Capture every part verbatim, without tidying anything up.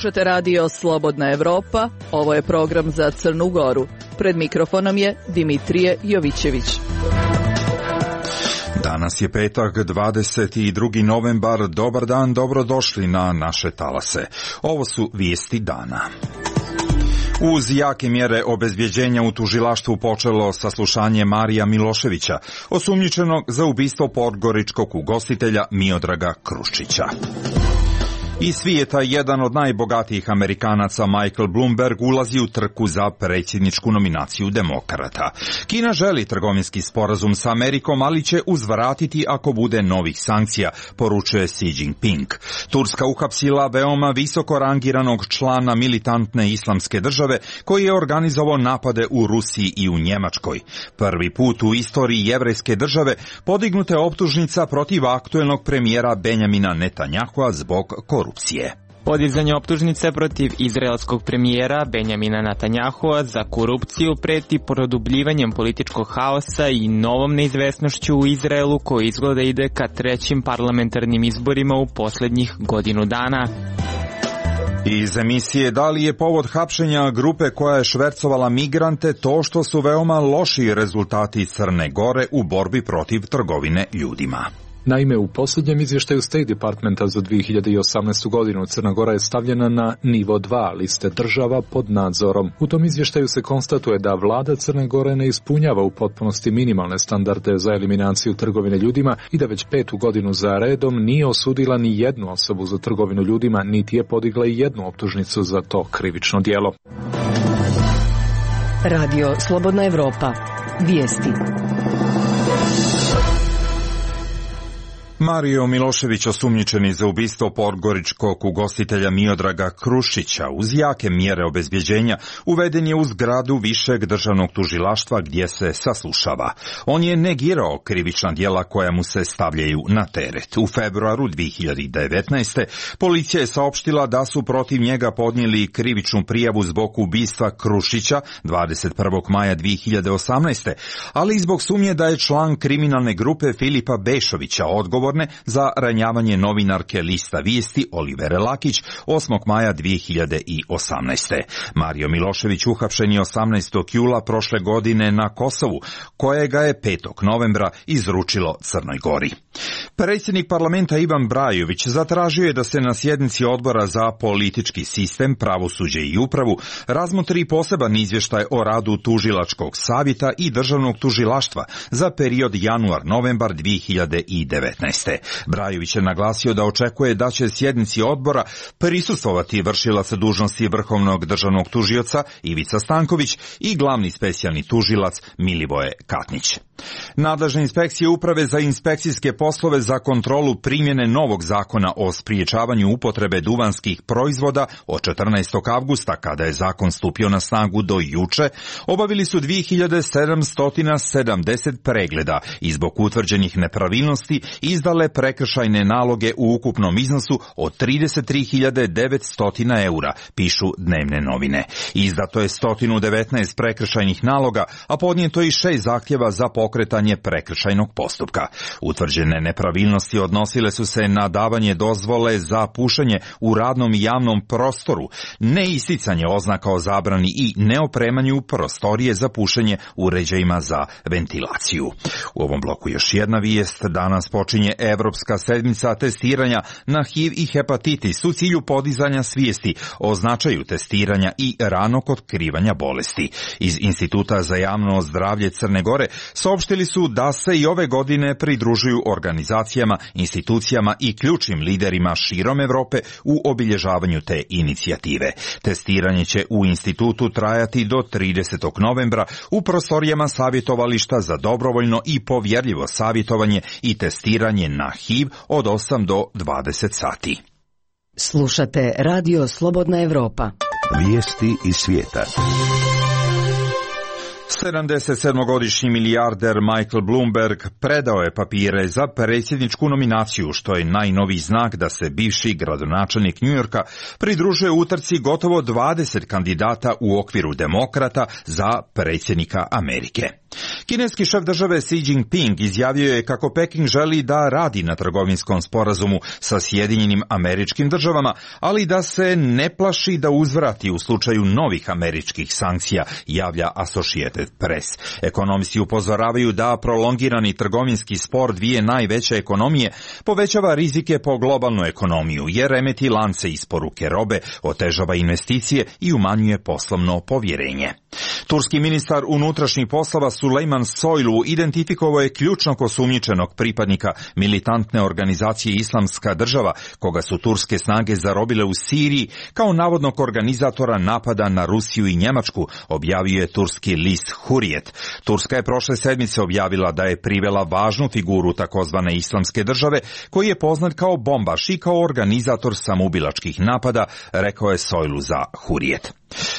Slušate radio Slobodna Evropa, ovo je program za Crnu Goru. Pred mikrofonom je Dimitrije Jovićević. Danas je petak, dvadeset drugi novembar. Dobar dan, dobrodošli na naše talase. Ovo su vijesti dana. Uz jake mjere obezbjeđenja u tužilaštvu počelo saslušanje Marija Miloševića, osumnjičenog za ubistvo podgoričkog ugostitelja Miodraga Krušića. Iz svijeta jedan od najbogatijih Amerikanaca, Michael Bloomberg, ulazi u trku za predsjedničku nominaciju demokrata. Kina želi trgovinski sporazum sa Amerikom, ali će uzvratiti ako bude novih sankcija, poručuje Xi Jinping. Turska uhapsila veoma visoko rangiranog člana militantne islamske države koji je organizovao napade u Rusiji i u Njemačkoj. Prvi put u istoriji jevrejske države podignuta je optužnica protiv aktuelnog premijera Benjamina Netanjahua zbog korupcije. Podizanje optužnice protiv izraelskog premijera Benjamina Netanjahua za korupciju preti produbljivanjem političkog haosa i novom neizvesnošću u Izraelu koji izgleda ide ka trećim parlamentarnim izborima u posljednjih godinu dana. Iz emisije da li je povod hapšenja grupe koja je švercovala migrante to što su veoma loši rezultati Crne Gore u borbi protiv trgovine ljudima. Naime, u posljednjem izvještaju State Departmenta za dvije hiljade osamnaestu. godinu Crna Gora je stavljena na nivo dva liste država pod nadzorom. U tom izvještaju se konstatuje da vlada Crne Gore ne ispunjava u potpunosti minimalne standarde za eliminaciju trgovine ljudima i da već petu godinu za redom nije osudila ni jednu osobu za trgovinu ljudima, niti je podigla i jednu optužnicu za to krivično djelo. Radio Slobodna Evropa. Vijesti. Mario Milošević, osumnjičeni za ubistvo podgoričkog ugostitelja Miodraga Krušića, uz jake mjere obezbjeđenja uveden je u zgradu višeg državnog tužilaštva gdje se saslušava. On je negirao krivična djela koja mu se stavljaju na teret. U februaru dvije hiljade devetnaeste. policija je saopštila da su protiv njega podnijeli krivičnu prijavu zbog ubistva Krušića dvadeset prvog maja dvije hiljade osamnaeste. ali i zbog sumnje da je član kriminalne grupe Filipa Bešovića odgovor za ranjavanje novinarke Lista vijesti Olivere Lakić osmog maja dvije hiljade osamnaeste. Mario Milošević uhapšen je osamnaestog jula prošle godine na Kosovu, kojega je petog novembra izručilo Crnoj Gori. Predsjednik parlamenta Ivan Brajović zatražio je da se na sjednici odbora za politički sistem, pravosuđe i upravu razmotri poseban izvještaj o radu tužilačkog savjeta i državnog tužilaštva za period januar-novembar dvije hiljade devetnaeste. Brajović je naglasio da očekuje da će sjednici odbora prisustvovati vršilac dužnosti vrhovnog državnog tužioca Ivica Stanković i glavni specijalni tužilac Milivoje Katnić. Nadležne inspekcije Uprave za inspekcijske poslove za kontrolu primjene novog zakona o spriječavanju upotrebe duvanskih proizvoda od četrnaestog avgusta, kada je zakon stupio na snagu, do juče, obavili su dvije hiljade sedamsto sedamdeset pregleda i zbog utvrđenih nepravilnosti izdale prekršajne naloge u ukupnom iznosu od trideset tri hiljade devetsto eura, pišu dnevne novine. Izdato je sto devetnaest prekršajnih naloga, a podnijeto je i šest zahtjeva za pokretanje prekršajnog postupka. Utvrđene nepravilnosti odnosile su se na davanje dozvole za pušenje u radnom i javnom prostoru, neisticanje oznaka o zabrani i neopremanju prostorije za pušenje uređajima za ventilaciju. U ovom bloku još jedna vijest. Danas počinje Evropska sedmica testiranja na H I V i hepatitis u cilju podizanja svijesti o značaju testiranja i ranog otkrivanja bolesti. Iz Instituta za javno zdravlje Crne Gore saopštili su da se i ove godine pridružuju organizacijama, institucijama i ključnim liderima širom Evrope u obilježavanju te inicijative. Testiranje će u institutu trajati do tridesetog novembra u prostorijama savjetovališta za dobrovoljno i povjerljivo savjetovanje i testiranje na H I V od osam do dvadeset sati. Slušate Radio Slobodna Evropa. Vijesti iz svijeta. sedamdesetsedmogodišnji milijarder Michael Bloomberg predao je papire za predsjedničku nominaciju, što je najnoviji znak da se bivši gradonačelnik Njujorka pridružuje utrci gotovo dvadeset kandidata u okviru demokrata za predsjednika Amerike. Kineski šef države Xi Jinping izjavio je kako Peking želi da radi na trgovinskom sporazumu sa Sjedinjenim Američkim Državama, ali da se ne plaši da uzvrati u slučaju novih američkih sankcija, javlja Associated Press. Ekonomisti upozoravaju da prolongirani trgovinski spor dvije najveće ekonomije povećava rizike po globalnu ekonomiju, jer remeti lance isporuke robe, otežava investicije i umanjuje poslovno povjerenje. Turski ministar unutrašnjih poslova Sulejman Soylu identifikovao je ključnog osumnjičenog pripadnika militantne organizacije Islamska država, koga su turske snage zarobile u Siriji, kao navodnog organizatora napada na Rusiju i Njemačku, objavio je turski list Hurriyet. Turska je prošle sedmice objavila da je privela važnu figuru takozvane Islamske države, koji je poznat kao bombaš i kao organizator samoubilačkih napada, rekao je Soylu za Hurriyet.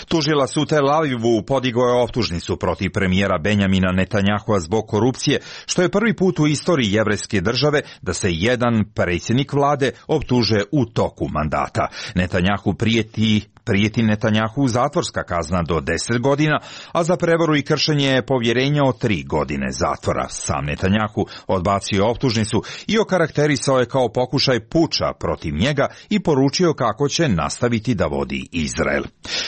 Tužilac u Tel Avivu podigao je optužnicu protiv premijera Benjamina Netanjahua zbog korupcije, što je prvi put u istoriji jevrejske države da se jedan predsjednik vlade optuže u toku mandata. Netanjahu prijeti Prijeti Netanjahu zatvorska kazna do deset godina, a za prevaru i kršenje povjerenja od tri godine zatvora. Sam Netanjahu odbacio optužnicu i okarakterisao je kao pokušaj puča protiv njega i poručio kako će nastaviti da vodi Izrael.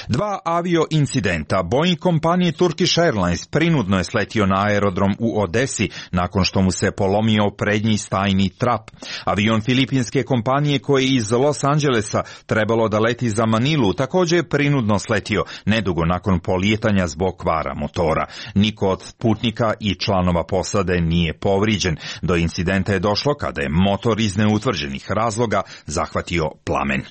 Dva avio incidenta. Boeing kompanije Turkish Airlines prinudno je sletio na aerodrom u Odesi nakon što mu se polomio prednji stajni trap. Avion filipinske kompanije koji je iz Los Angelesa trebalo da leti za Manilu također je prinudno sletio nedugo nakon polijetanja zbog kvara motora. Niko od putnika i članova posade nije povrijeđen. Do incidenta je došlo kada je motor iz neutvrđenih razloga zahvatio plamen.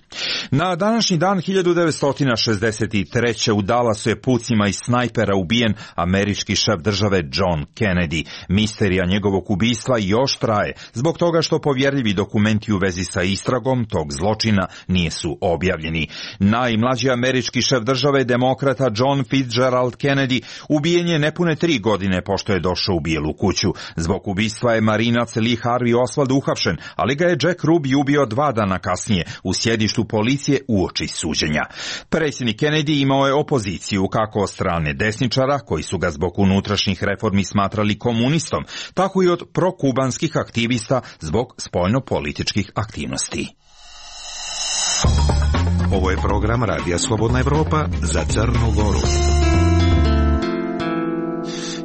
Na današnji dan hiljadu devetsto šezdeset treće u Dallasu je pucima iz snajpera ubijen američki šef države John Kennedy. Misterija njegovog ubistva još traje, zbog toga što povjerljivi dokumenti u vezi sa istragom tog zločina nisu objavljeni. Najmlađi američki šef države, demokrata John Fitzgerald Kennedy, ubijen je nepune tri godine pošto je došao u Bijelu kuću. Zbog ubistva je marinac Lee Harvey Oswald uhapšen, ali ga je Jack Ruby ubio dva dana kasnije u sjedištu policije uoči suđenja. Predsjednik Kennedy imao je opoziciju kako od strane desničara, koji su ga zbog unutrašnjih reformi smatrali komunistom, tako i od prokubanskih aktivista zbog spoljno-političkih aktivnosti. Ovo je program Radija Slobodna Evropa za Crnu Goru.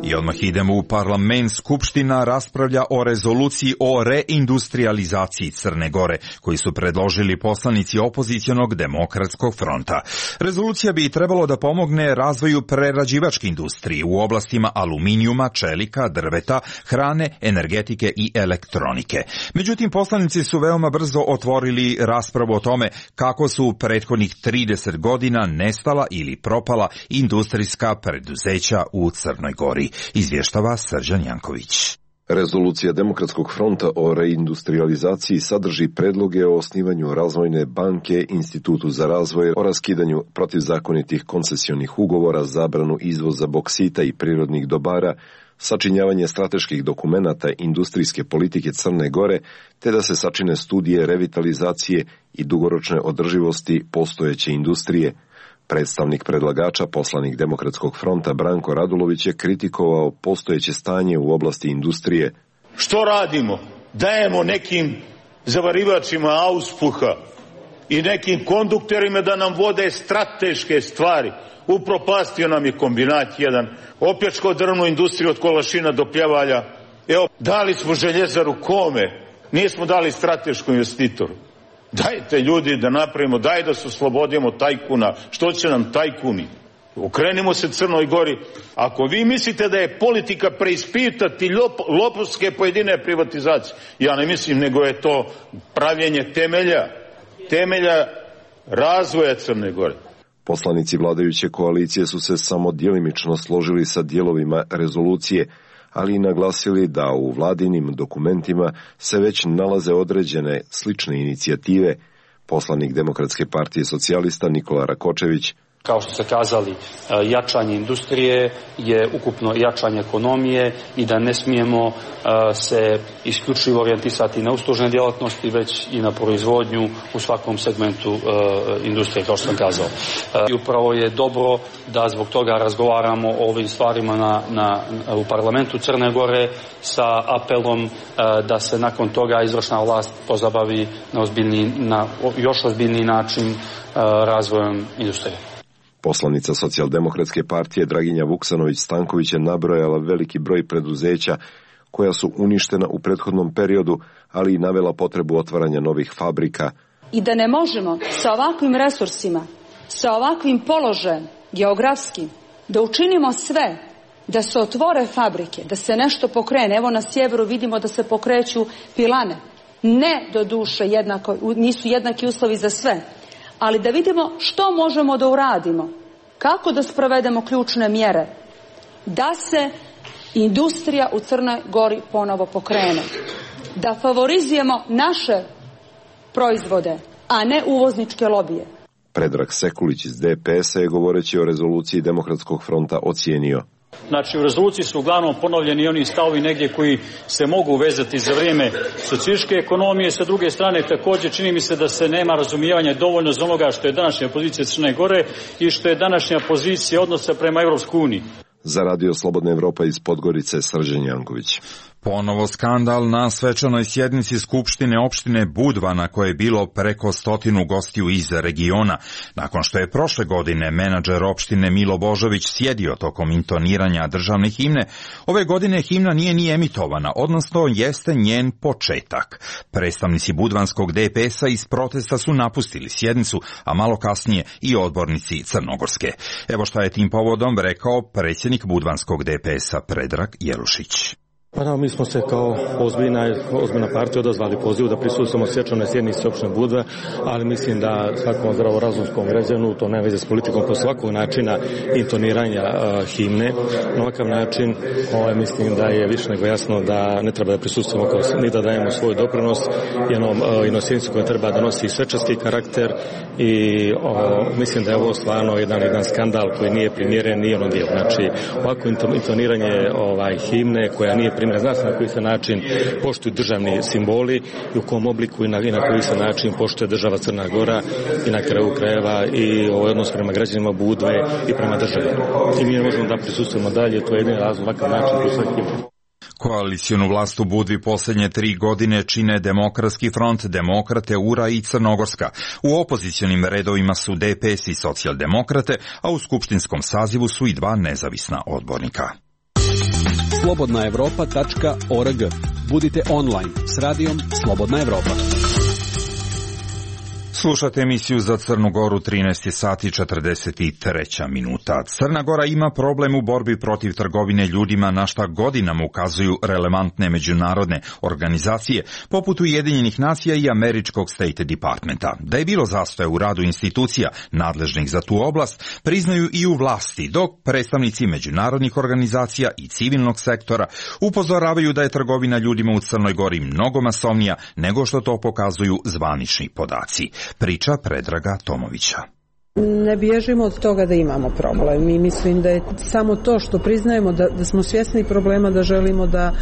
I odmah idemo u parlament. Skupština raspravlja o rezoluciji o reindustrializaciji Crne Gore, koji su predložili poslanici opozicionog demokratskog fronta. Rezolucija bi trebalo da pomogne razvoju prerađivačke industrije u oblastima aluminijuma, čelika, drveta, hrane, energetike i elektronike. Međutim, poslanici su veoma brzo otvorili raspravu o tome kako su u prethodnih trideset godina nestala ili propala industrijska preduzeća u Crnoj Gori. Izvještava Srđan Janković. Rezolucija Demokratskog fronta o reindustrializaciji sadrži predloge o osnivanju razvojne banke, Institutu za razvoj, o raskidanju protivzakonitih koncesionih ugovora, zabranu izvoza boksita i prirodnih dobara, sačinjavanje strateških dokumenata industrijske politike Crne Gore, te da se sačine studije revitalizacije i dugoročne održivosti postojeće industrije. Predstavnik predlagača, poslanik Demokratskog fronta Branko Radulović je kritikovao postojeće stanje u oblasti industrije. Što radimo? Dajemo nekim zavarivačima auspuha i nekim kondukterima da nam vode strateške stvari. Upropastio nam je kombinat jedan, opljačkao drvnu industriju od Kolašina do Pljevalja. Evo, dali smo željezaru kome, nismo dali strateškom investitoru. Dajte ljudi da napravimo, daj da se oslobodimo tajkuna. Što će nam tajkuni? Okrenimo se Crnoj Gori. Ako vi mislite da je politika preispitati lop, lopovske pojedine privatizacije, ja ne mislim, nego je to pravljenje temelja, temelja razvoja Crne Gore. Poslanici vladajuće koalicije su se samo djelimično složili sa dijelovima rezolucije, ali i naglasili da u vladinim dokumentima se već nalaze određene slične inicijative. Poslanik Demokratske partije socijalista Nikola Rakočević: Kao što ste kazali, jačanje industrije je ukupno jačanje ekonomije i da ne smijemo se isključivo orijentisati na uslužne djelatnosti, već i na proizvodnju u svakom segmentu industrije, kao što sam kazao. I upravo je dobro da zbog toga razgovaramo o ovim stvarima na, na, u parlamentu Crne Gore sa apelom da se nakon toga izvršna vlast pozabavi na, ozbiljni, na još ozbiljniji način razvojem industrije. Poslanica Socijaldemokratske partije Draginja Vuksanović-Stanković je nabrojala veliki broj preduzeća koja su uništena u prethodnom periodu, ali i navela potrebu otvaranja novih fabrika. I da ne možemo sa ovakvim resursima, sa ovakvim položajem geografskim, da učinimo sve da se otvore fabrike, da se nešto pokrene. Evo na sjeveru vidimo da se pokreću pilane. Ne do duše jednako, nisu jednaki uslovi za sve. Ali da vidimo što možemo da uradimo, kako da sprovedemo ključne mjere, da se industrija u Crnoj Gori ponovo pokrene, da favorizujemo naše proizvode, a ne uvozničke lobije. Predrag Sekulić iz D P S-a je govoreći o rezoluciji Demokratskog fronta ocijenio. Znači, u rezoluciji su uglavnom ponovljeni oni stavovi negdje koji se mogu vezati za vrijeme socijalističke ekonomije. Sa druge strane, također čini mi se da se nema razumijevanja dovoljno za onoga što je današnja pozicija Crne Gore i što je današnja pozicija odnosa prema Europskoj uniji. Za Radio Slobodna Evropa iz Podgorice, Srđan Janković. Ponovo skandal na svečanoj sjednici Skupštine opštine Budva na koje je bilo preko stotinu gostiju iz regiona. Nakon što je prošle godine menadžer opštine Milo Božović sjedio tokom intoniranja državne himne, ove godine himna nije ni emitovana, odnosno jeste njen početak. Predstavnici budvanskog D P S-a iz protesta su napustili sjednicu, a malo kasnije i odbornici Crnogorske. Evo šta je tim povodom rekao predsjednik budvanskog D P S-a Predrag Jelušić. Pa da, mi smo se kao ozbiljna, ozbiljna partija odazvali pozivu da prisustvujemo svečanoj sjednici opštine Budva, ali mislim da svakom zdravorazumskom građanu, to nema veze s politikom, po svakog načina intoniranja uh, himne, na ovakav način ovaj, mislim da je više nego jasno da ne treba da prisustvujemo kao, ni da dajemo svoj doprinos jednom uh, jednom sjednicu koja treba da nosi svečarski karakter i uh, mislim da je ovo stvarno jedan, jedan skandal koji nije primjeren ni jednom dijelu. Znači, ovako intoniranje ovaj, himne koja nije primjer, zna se na koji se način poštuju državni simboli i u kom obliku i na, i na koji se način poštuje država Crna Gora i na kraju krajeva i ovaj odnos prema građanima Budve i prema državi. I mi ne možemo da prisustujemo dalje, to je jedini razlog ovakav način prisustujemo. Koalicijonu vlast u Budvi posljednje tri godine čine Demokratski front, Demokrate, U R A i Crnogorska. U opozicionim redovima su D P S i Socijaldemokrate, a u skupštinskom sazivu su i dva nezavisna odbornika. slobodna evropa tačka org. Budite online s radijom Slobodna Evropa. Slušate emisiju za Crnu Goru, trinaest sati četrdeset tri minuta. Crna Gora ima problem u borbi protiv trgovine ljudima, na šta godinama ukazuju relevantne međunarodne organizacije poput Ujedinjenih nacija i američkog State Departmenta. Da je bilo zastoja u radu institucija nadležnih za tu oblast, priznaju i u vlasti, dok predstavnici međunarodnih organizacija i civilnog sektora upozoravaju da je trgovina ljudima u Crnoj Gori mnogo masovnija nego što to pokazuju zvanični podaci. Priča Predraga Tomovića. Ne bježimo od toga da imamo problem i mislim da je samo to što priznajemo da, da smo svjesni problema, da želimo da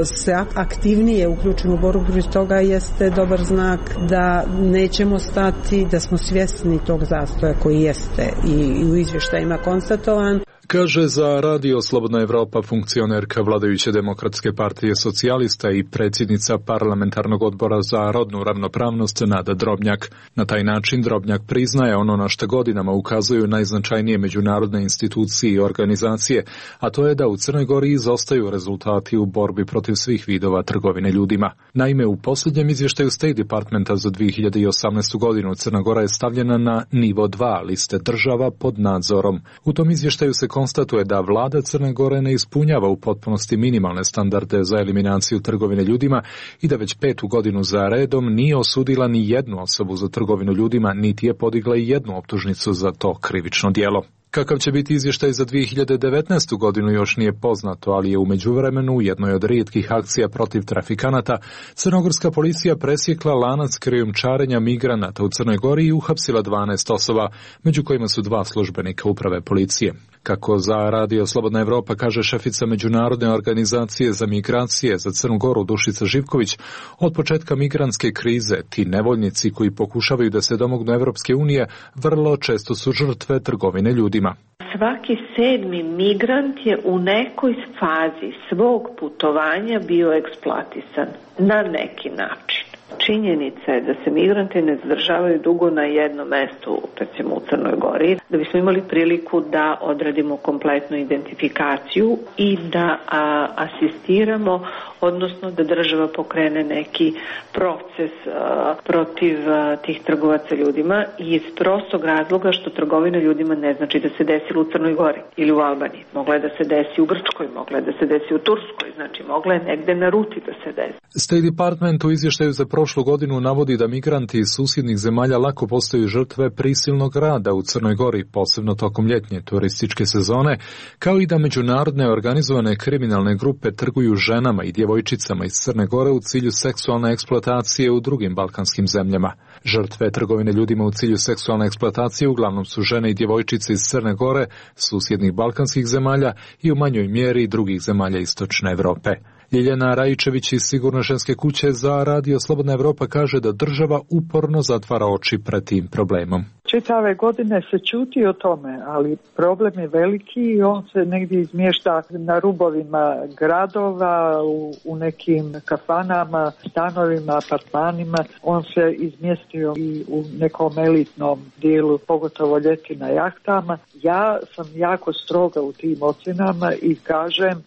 se aktivnije uključimo u borbu protiv toga jeste dobar znak da nećemo stati, da smo svjesni tog zastoja koji jeste i u izvještajima konstatovan. Kaže za Radio Slobodna Evropa funkcionerka vladajuće Demokratske partije socijalista i predsjednica parlamentarnog odbora za rodnu ravnopravnost Nada Drobnjak. Na taj način Drobnjak priznaje ono na što godinama ukazuju najznačajnije međunarodne institucije i organizacije, a to je da u Crnoj Gori izostaju rezultati u borbi protiv svih vidova trgovine ljudima. Naime, u posljednjem izvještaju State Departmenta za dvije hiljade osamnaestu godinu Crna Gora je stavljena na nivo dva liste država pod nadzorom. U tom izvještaju se konstatuje da vlada Crne Gore ne ispunjava u potpunosti minimalne standarde za eliminaciju trgovine ljudima i da već petu godinu za redom nije osudila ni jednu osobu za trgovinu ljudima, niti je podigla i jednu optužnicu za to krivično djelo. Kakav će biti izvještaj za dvije hiljade devetnaestu. godinu još nije poznato, ali je u međuvremenu u jednoj od rijetkih akcija protiv trafikanata crnogorska policija presjekla lanac krijumčarenja migranata u Crnoj Gori i uhapsila dvanaest osoba, među kojima su dva službenika uprave policije. Kako za Radio Slobodna Evropa kaže šefica Međunarodne organizacije za migracije za Crnu Goru Dušica Živković, od početka migrantske krize ti nevoljnici koji pokušavaju da se domognu Evropske unije vrlo često su žrtve trgovine ljudima. Svaki sedmi migrant je u nekoj fazi svog putovanja bio eksploatisan na neki način. Činjenica je da se migranti ne zadržavaju dugo na jednom mestu, recimo u Crnoj Gori, da bismo imali priliku da odradimo kompletnu identifikaciju i da a, asistiramo, odnosno da država pokrene neki proces a, protiv a, tih trgovaca ljudima iz prostog razloga što trgovina ljudima ne znači da se desilo u Crnoj Gori ili u Albaniji. Mogla je da se desi u Grčkoj, mogla je da se desi u Turskoj, znači mogla je negde na ruti da se desi. State Department u izvještaju za prošlu godinu navodi da migranti iz susjednih zemalja lako postaju žrtve prisilnog rada u Crnoj Gori, posebno tokom ljetnje turističke sezone, kao i da međunarodne organizovane kriminalne grupe trguju ženama i djevojčicama iz Crne Gore u cilju seksualne eksploatacije u drugim balkanskim zemljama. Žrtve trgovine ljudima u cilju seksualne eksploatacije uglavnom su žene i djevojčice iz Crne Gore, susjednih balkanskih zemalja i u manjoj mjeri drugih zemalja istočne Europe. Ljiljana Rajičević iz Sigurne ženske kuće za Radio Slobodna Evropa kaže da država uporno zatvara oči pred tim problemom. Čitave godine se čuti o tome, ali problem je veliki i on se negdje izmješta na rubovima gradova, u, u nekim kafanama, stanovima, apartmanima. On se izmjestio i u nekom elitnom dijelu, pogotovo ljeti na jahtama. Ja sam jako stroga u tim ocjenama i kažem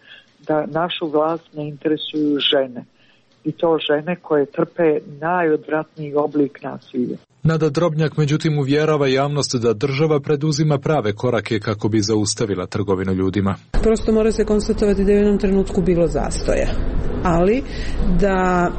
da našu vlast ne interesuju žene. I to žene koje trpe najodvratniji oblik nasilja. Nada Drobnjak međutim uvjerava javnost da država preduzima prave korake kako bi zaustavila trgovinu ljudima. Prosto mora se konstatovati da je u jednom trenutku bilo zastoja, ali da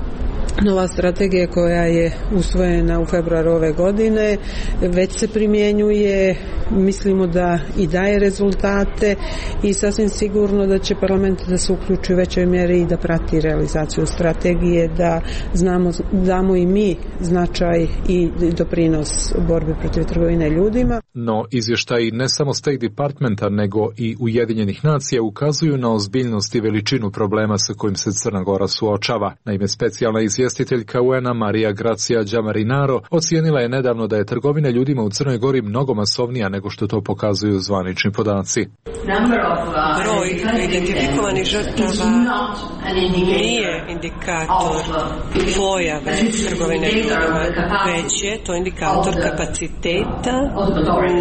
nova strategija koja je usvojena u februaru ove godine već se primjenjuje, mislimo da i daje rezultate i sasvim sigurno da će parlament da se uključi u većoj mjeri i da prati realizaciju strategije, da znamo, damo i mi značaj i doprinos borbi protiv trgovine ljudima. No izvještaji ne samo State Departmenta nego i Ujedinjenih nacija ukazuju na ozbiljnost i veličinu problema sa kojim se Crna Gora suočava. Naime, specijalna izvjestiteljka U N-a Marija Gracija Đamarinaro ocijenila je nedavno da je trgovina ljudima u Crnoj Gori mnogo masovnija nego što to pokazuju zvanični podaci. Broj identifikovanih žrtava nije indikator pojave trgovine ljudima, već je to indikator kapaciteta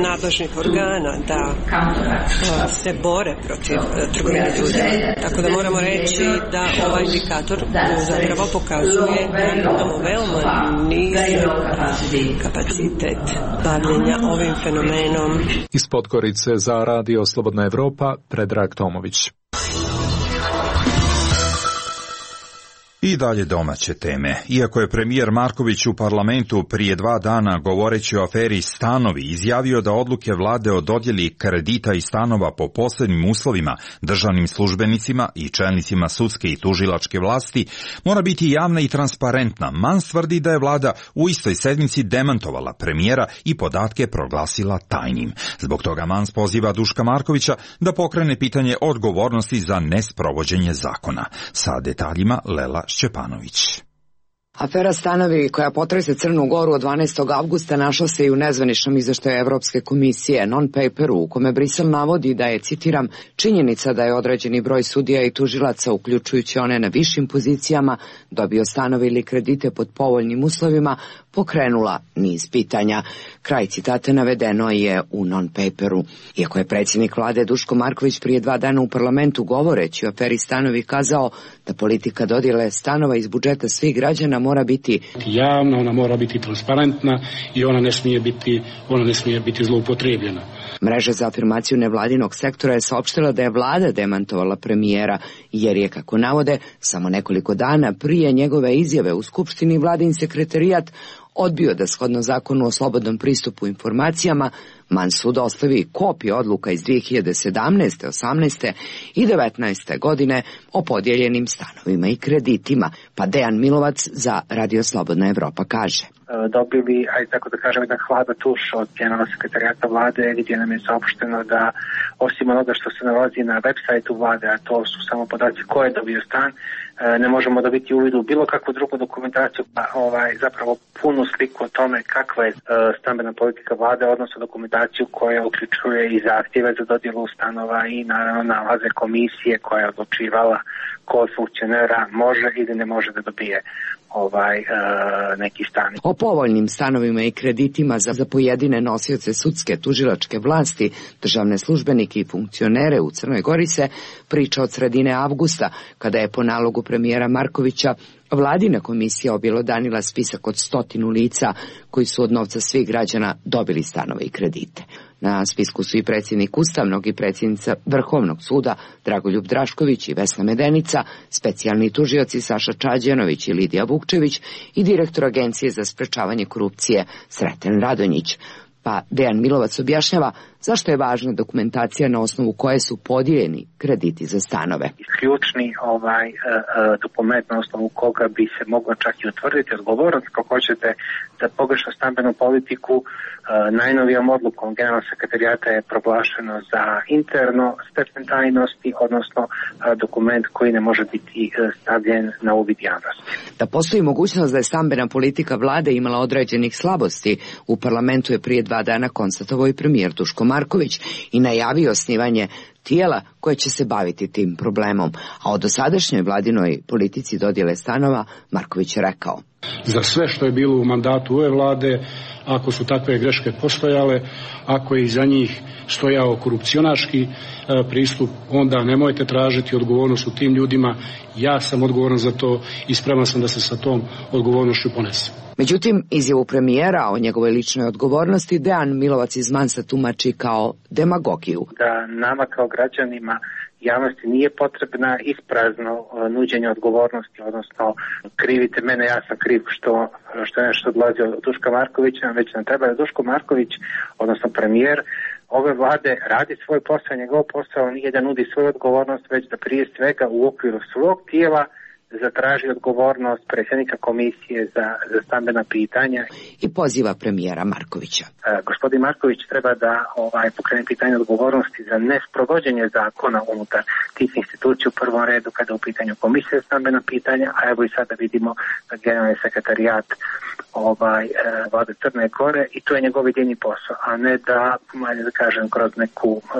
nadležnih organa da se bore protiv trgovine ljudima. Tako da moramo reći da ovaj indikator zapravo pokazuje da imamo veoma nizak kapacitet bavljenja ovim fenomenom. Iz Podgorice za Radio Slobodna Evropa, Predrag Tomović. I dalje domaće teme. Iako je premijer Marković u parlamentu prije dva dana govoreći o aferi stanovi izjavio da odluke vlade o dodjeli kredita i stanova po posebnim uslovima državnim službenicima i čelnicima sudske i tužilačke vlasti mora biti javna i transparentna, Mans tvrdi da je vlada u istoj sedmici demantovala premijera i podatke proglasila tajnim. Zbog toga Mans poziva Duška Markovića da pokrene pitanje odgovornosti za nesprovođenje zakona. Sa detaljima Lela Šćepanović. Afera stanovi koja potrese Crnu Goru od dvanaestog avgusta našla se i u nezvaničnom izveštaju Evropske komisije non-paperu u kome Brisel navodi da je, citiram, činjenica da je određeni broj sudija i tužilaca, uključujući one na višim pozicijama, dobio stanove ili kredite pod povoljnim uslovima, pokrenula niz pitanja. Kraj citata navedeno je u non-paperu. Iako je predsjednik vlade Duško Marković prije dva dana u parlamentu govoreći o aferi stanovi kazao da politika dodjele stanova iz budžeta svih građana mora biti javna, ona mora biti transparentna i ona ne smije biti, ona ne smije biti zloupotrebljena. Mreža za afirmaciju nevladinog sektora je saopštila da je vlada demantovala premijera, jer je, kako navode, samo nekoliko dana prije njegove izjave u Skupštini vladin sekretarijat odbio da shodno zakonu o slobodnom pristupu informacijama Mansu dostavi kopije odluka iz dvije hiljade sedamnaeste, osamnaeste i devetnaeste godine o podijeljenim stanovima i kreditima, pa Dejan Milovac za Radio Slobodna Evropa kaže. Dobili, ajde tako da kažem, jedan hlada tuš od generalnog sekretarijata vlade gdje nam je saopšteno da osim onoga što se nalazi na web sajtu vlade, a to su samo podaci ko je dobio stan, ne možemo dobiti uvid u bilo kakvu drugu dokumentaciju, pa ovaj, zapravo punu sliku o tome kakva je stambena politika vlade, odnosno dokumentaciju koja uključuje i zahtjeve za dodjelu stanova i naravno nalaze komisije koja je odlučivala ko od funkcionera može ili ne može da dobije ovaj uh, neki stan. O povoljnim stanovima i kreditima za, za pojedine nosioce sudske tužilačke vlasti, državne službenike i funkcionere u Crnoj Gori se priča od sredine avgusta, kada je po nalogu premijera Markovića vladina komisija objelodanila spisak od stotinu lica koji su od novca svih građana dobili stanove i kredite. Na spisku su i predsjednik Ustavnog i predsjednica Vrhovnog suda Dragoljub Drašković i Vesna Medenica, specijalni tužioci Saša Čađanović i Lidija Vukčević i direktor Agencije za sprečavanje korupcije Sreten Radonjić. Pa Dejan Milovac objašnjava zašto je važna dokumentacija na osnovu koje su podijeljeni krediti za stanove. Ključni ovaj uh, dokument na osnovu koga bi se moglo čak i utvrditi odgovornost, kako hoćete, za pogrešnu stambenu politiku. Uh, najnovijom odlukom generalnog sekretarijata je proglašeno za interno stepen tajnosti, odnosno uh, dokument koji ne može biti uh, stavljen na uvid javnosti. Da postoji mogućnost da je stambena politika vlade imala određenih slabosti, u parlamentu je prije dva dana konstatovao i premijer Duško Marković i najavio osnivanje tijela koje će se baviti tim problemom, a o dosadašnjoj vladinoj politici dodjele stanova Marković je rekao. Za sve što je bilo u mandatu ove vlade, ako su takve greške postojale, ako je iza njih stojao korupcionaški e, pristup, onda nemojte tražiti odgovornost u tim ljudima. Ja sam odgovoran za to i spreman sam da se sa tom odgovornošću ponesem. Međutim, izjavu premijera o njegovoj ličnoj odgovornosti Dejan Milovac iz Mansa tumači kao demagogiju. Da nama kao građanima javnosti nije potrebna isprazno nuđenje odgovornosti, odnosno krivite mene, ja sam kriv što, što je nešto odlazi od Duška Markovića, već nam treba da Duško Marković, odnosno premijer ove vlade, radi svoj posao, njegov posao nije da nudi svoju odgovornost, već da prije svega u okviru svog tijela zatraži odgovornost predsjednika komisije za, za stambena pitanja. I poziva premijera Markovića. E, gospodin Marković treba da ovaj, pokrene pitanje odgovornosti za nesprovođenje zakona unutar tih institucija u prvom redu kada je u pitanju komisije za stambena pitanja, a evo i sada vidimo generalni sekretarijat ovaj, e, vlade Crne Gore i to je njegov jedini posao, a ne da, malje da kažem, kroz neku, e,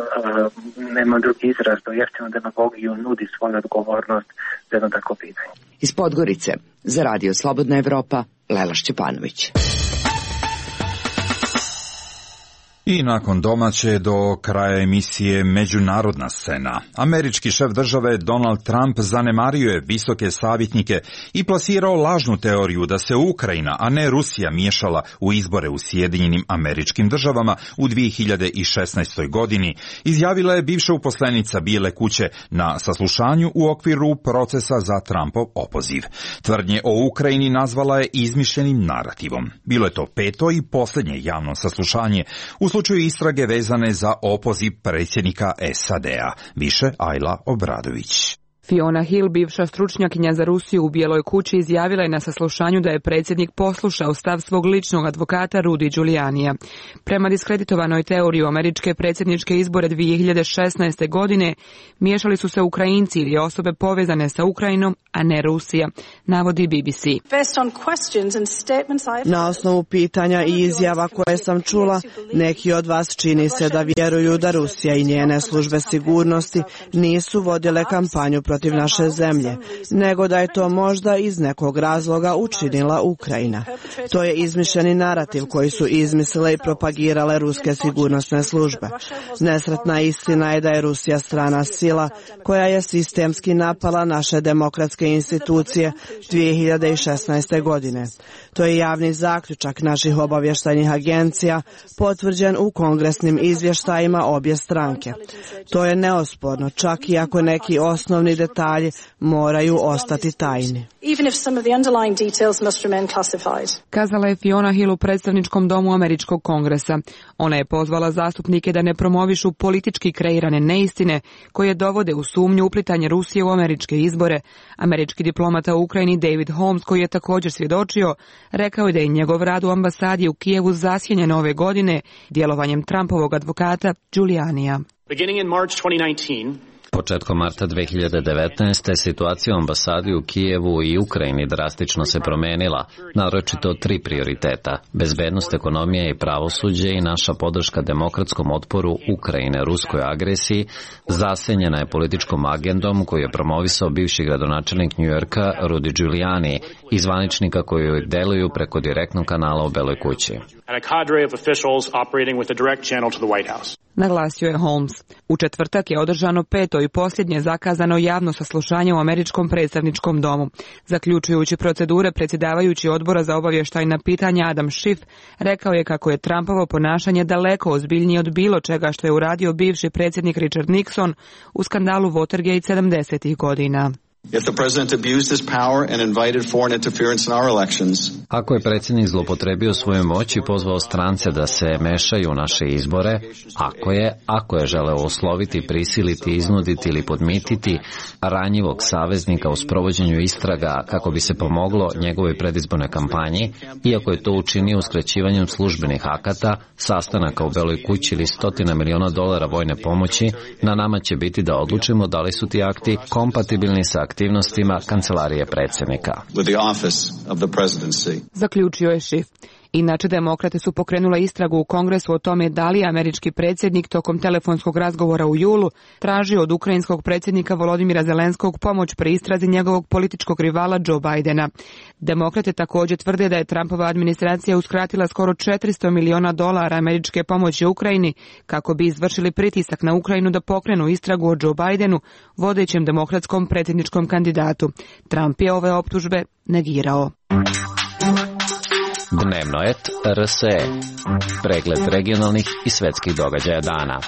nema drugi izraz, do jeftinu demagogiju nudi svoju odgovornost za jedno tako pitanje. Iz Podgorice, za Radio Slobodna Evropa, Lela Šćepanović. I nakon domaće do kraja emisije Međunarodna scena. Američki šef države Donald Trump zanemario je visoke savjetnike i plasirao lažnu teoriju da se Ukrajina, a ne Rusija, miješala u izbore u Sjedinjenim Američkim Državama u dvije hiljade šesnaestoj. godini, izjavila je bivša uposlenica Bijele kuće na saslušanju u okviru procesa za Trumpov opoziv. Tvrdnje o Ukrajini nazvala je izmišljenim narativom. Bilo je to peto i posljednje javno saslušanje u slučaju istrage vezane za opoziv predsjednika S A D-a. Više Ajla Obradović. Fiona Hill, bivša stručnjakinja za Rusiju u Bijeloj kući, izjavila je na saslušanju da je predsjednik poslušao stav svog ličnog advokata Rudy Giulianija. Prema diskreditovanoj teoriji američke predsjedničke izbore dvije hiljade šesnaeste. godine miješali su se Ukrajinci ili osobe povezane sa Ukrajinom, a ne Rusija, navodi B B C. Na osnovu pitanja i izjava koje sam čula, neki od vas čini se da vjeruju da Rusija i njene službe sigurnosti nisu vodile kampanju protiv naše zemlje, nego da je to možda iz nekog razloga učinila Ukrajina. To je izmišljeni narativ koji su izmislile i propagirale ruske sigurnosne službe. Nesretna istina je da je Rusija strana sila koja je sistemski napala naše demokratske institucije dvije hiljade šesnaeste. godine. To je javni zaključak naših obavještajnih agencija, potvrđen u kongresnim izvještajima obje stranke. To je neosporno, čak i ako neki osnovni detalji moraju ostati tajni. Kazala je Fiona Hill u predstavničkom domu Američkog kongresa. Ona je pozvala zastupnike da ne promovišu politički kreirane neistine koje dovode u sumnju uplitanje Rusije u američke izbore. Američki diplomata u Ukrajini David Holmes, koji je također svjedočio, rekao je da je njegov rad u ambasadi u Kijevu zasjenjen ove godine djelovanjem Trumpovog advokata Giulianija. Početkom marta dve hiljade devetnaeste. situacija u ambasadi u Kijevu i Ukrajini drastično se promenila, naročito tri prioriteta: bezbednost, ekonomija i pravosuđe i naša podrška demokratskom otporu Ukrajine ruskoj agresiji zasenjena je političkom agendom koju je promovisao bivši gradonačelnik Njujorka Rudy Giuliani i zvaničnika koji deluju preko direktnog kanala u Beloj kući. Naglasio je Holmes. U četvrtak je održano peto i posljednje zakazano javno saslušanje u Američkom predstavničkom domu. Zaključujući procedure, predsjedavajući odbora za obavještajna pitanja Adam Schiff rekao je kako je Trumpovo ponašanje daleko ozbiljnije od bilo čega što je uradio bivši predsjednik Richard Nixon u skandalu Watergate sedamdesetih godina. Ako je predsjednik zloupotrebio svoju moć i pozvao strance da se mešaju u naše izbore, ako je, ako je želeo osloviti, prisiliti, iznuditi ili podmititi ranjivog saveznika u sprovođenju istraga kako bi se pomoglo njegovoj predizbornoj kampanji, iako je to učinio uskraćivanjem službenih akata, sastanaka u Beloj kući ili stotina miliona dolara vojne pomoći, na nama će biti da odlučimo da li su ti akti kompatibilni sa aktivnostima kancelarije predsjednika. Zaključio je Schiff. Inače, demokrate su pokrenule istragu u Kongresu o tome da li je američki predsjednik tokom telefonskog razgovora u julu tražio od ukrajinskog predsjednika Volodimira Zelenskog pomoć pri istrazi njegovog političkog rivala Joe Bidena. Demokrate također tvrde da je Trumpova administracija uskratila skoro četiristo miliona dolara američke pomoći Ukrajini kako bi izvršili pritisak na Ukrajinu da pokrenu istragu o Joe Bidenu, vodećem demokratskom predsjedničkom kandidatu. Trump je ove optužbe negirao. Dnevnoet R S E. Pregled regionalnih i svetskih događaja dana.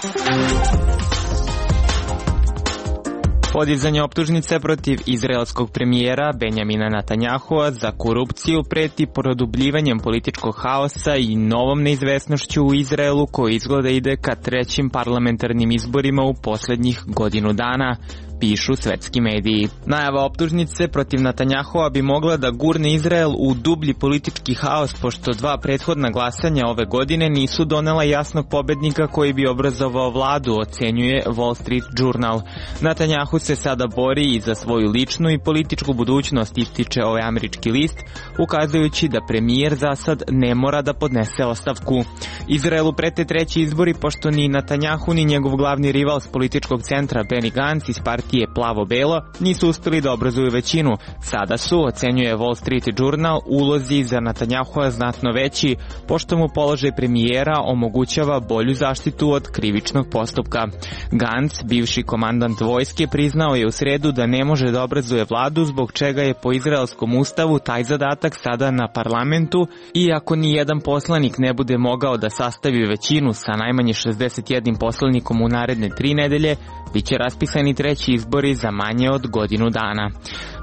Podizanje optužnice protiv izraelskog premijera Benjamina Netanjahua za korupciju preti produbljivanjem političkog haosa i novom neizvesnošću u Izraelu koji izgleda ide ka trećim parlamentarnim izborima u posljednjih godinu dana, pišu svetski mediji. Najava optužnice protiv Netanjahua bi mogla da gurne Izrael u dublji politički haos, pošto dva prethodna glasanja ove godine nisu donela jasnog pobednika koji bi obrazovao vladu, ocenjuje Wall Street Journal. Netanjahu se sada bori i za svoju ličnu i političku budućnost, ističe ovaj američki list, ukazujući da premijer za sad ne mora da podnese ostavku. Izraelu prete treći izbori, pošto ni Netanjahu ni njegov glavni rival s političkog centra Benny Gantz iz partije Plavo-Belo nisu uspjeli da obrazuju većinu. Sada su, ocenjuje Wall Street Journal, ulozi za Netanjahua znatno veći, pošto mu položaj premijera omogućava bolju zaštitu od krivičnog postupka. Gantz, bivši komandant vojske, priznao je u sredu da ne može da obrazuje vladu, zbog čega je po izraelskom ustavu taj zadatak sada na parlamentu, i ako ni jedan poslanik ne bude mogao da sastavi većinu sa najmanje šezdeset jednim poslanikom u naredne tri nedelje, biće raspisani treći izbori za manje od godinu dana.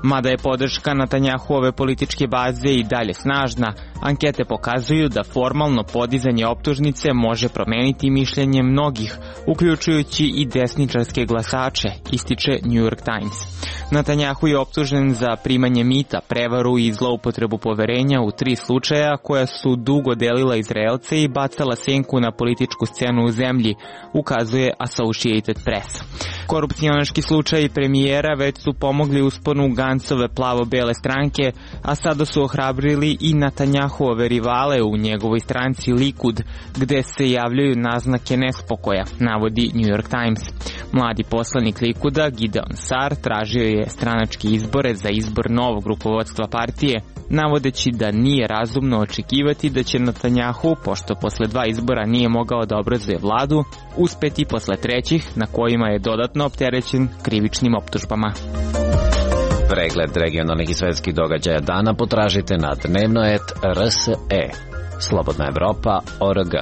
Mada je podrška Netanjahuove političke baze i dalje snažna, ankete pokazuju da formalno podizanje optužnice može promeniti mišljenje mnogih, uključujući i desničarske glasače, ističe New York Times. Netanjahu je optužen za primanje mita, prevaru i zloupotrebu poverenja u tri slučaja koja su dugo delila Izraelce i bacala senku na političku scenu u zemlji, ukazuje Associated Press. Korupcionaški slučaj premijera već su pomogli usponu Gancove plavo-bele stranke, a sada su ohrabrili i Netanjahuove rivale u njegovoj stranci Likud, gde se javljaju naznake nespokoja, navodi New York Times. Mladi poslanik Likuda, Gideon Sar, tražio je stranačke izbore za izbor novog rukovodstva partije, navodeći da nije razumno očekivati da će Netanjahu, pošto posle dva izbora nije mogao da obrazuje vladu, uspeti posle trećih, na kojima je dodatno opterećen krivičnim optužbama. Pregled regionalnih i svetskih događaja dana potražite na dnevnoet R S E. Slobodna Evropa O R G.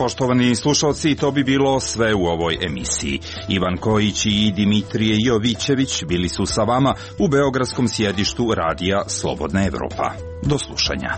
Poštovani slušalci, to bi bilo sve u ovoj emisiji. Ivan Kojić i Dimitrije Jovićević bili su sa vama u beogradskom sjedištu radija Slobodna Evropa. Do slušanja.